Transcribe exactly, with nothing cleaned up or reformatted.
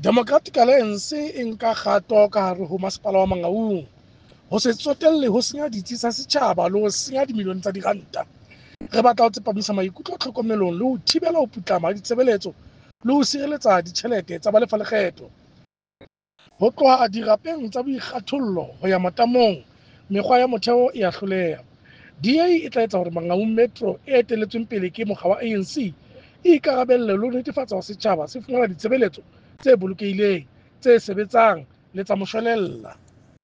Democratic Alliance e nka kgato ka hare ho Masepala wa Mangaung ho se tsotelle ho senya ditsi tsa setjhaba le ho senya dimilione tsa diranta. Re batla ho tsepamisa maikutlo tlhokomelong le ho thibela ho putlama ha ditshebeletso le ho sireletsa ditjhelete tsa balefalekgetho. Ho tloha dirapeng tsa boikgathollo ho ya matamong, mekgwa ya motheo e a hloleha. D A e tla etsa hore Mangaung Metro e etelletsweng pele ke mokga wa A N C e ikarabelle le ho netefatsa hore setjhaba se fumana ditshebeletso tse bolokehileng, tse sebetsang le tsa moshwelella.